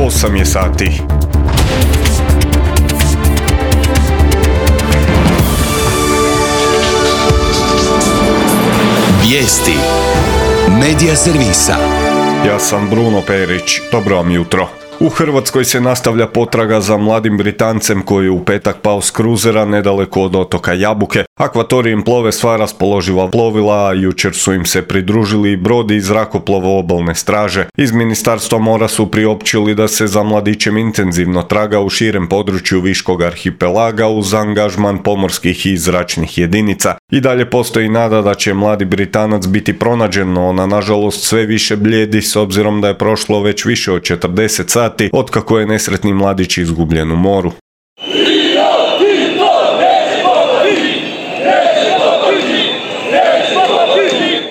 8 je sati. Vijesti Medija servisa. Ja sam Bruno Perić. Dobro vam jutro. U Hrvatskoj se nastavlja potraga za mladim Britancem koji je u petak pao s kruzera nedaleko od otoka Jabuke. Akvatorijem plove sva raspoloživa plovila, a jučer su im se pridružili i brod i zrakoplov obalne straže. Iz Ministarstva mora su priopćili da se za mladićem intenzivno traga u širem području Viškog arhipelaga uz angažman pomorskih i zračnih jedinica. I dalje postoji nada da će mladi Britanac biti pronađen, no ona nažalost sve više bljedi s obzirom da je prošlo već više od 40 sati otkako je nesretni mladić izgubljen u moru.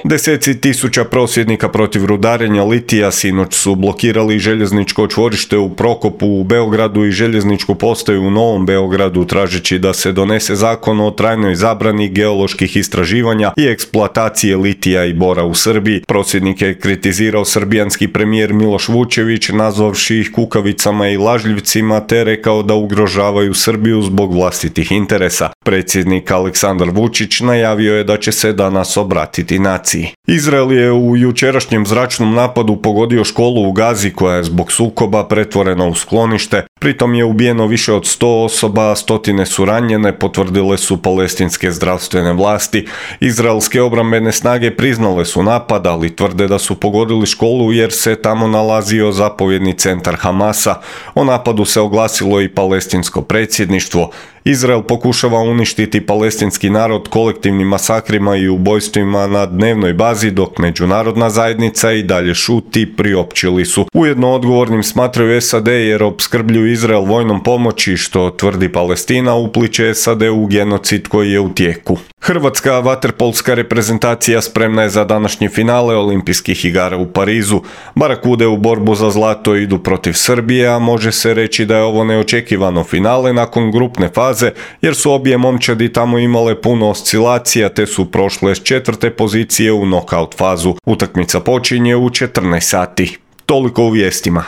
Deseci tisuća prosvjednika protiv rudarenja litija sinoć su blokirali željezničko čvorište u Prokopu u Beogradu i željezničku postaju u Novom Beogradu tražeći da se donese zakon o trajnoj zabrani geoloških istraživanja i eksploatacije litija i bora u Srbiji. Prosvjednike je kritizirao srbijanski premijer Miloš Vučević nazvavši ih kukavicama i lažljivcima te rekao da ugrožavaju Srbiju zbog vlastitih interesa. Predsjednik Aleksandar Vučić najavio je da će se danas obratiti naciji. Izrael je u jučerašnjem zračnom napadu pogodio školu u Gazi koja je zbog sukoba pretvorena u sklonište. Pritom je ubijeno više od 100 osoba, a stotine su ranjene, potvrdile su palestinske zdravstvene vlasti. Izraelske obrambene snage priznale su napad, ali tvrde da su pogodili školu jer se tamo nalazio zapovjedni centar Hamasa. O napadu se oglasilo i palestinsko predsjedništvo. Izrael pokušava uništiti palestinski narod kolektivnim masakrima i ubojstvima na dnevnoj bazi, dok međunarodna zajednica i dalje šuti, priopćili su. Ujedno odgovornim smatraju SAD jer opskrbljuju Izrael vojnom pomoći, što tvrdi Palestina, upliće SAD u genocid koji je u tijeku. Hrvatska vaterpolska reprezentacija spremna je za današnje finale olimpijskih igara u Parizu. Barakude u borbu za zlato idu protiv Srbije, a može se reći da je ovo neočekivano finale nakon grupne faze, jer su obje momčadi tamo imale puno oscilacija te su prošle s 4. pozicije u nokaut fazu. Utakmica počinje u 14 sati. Toliko u vijestima.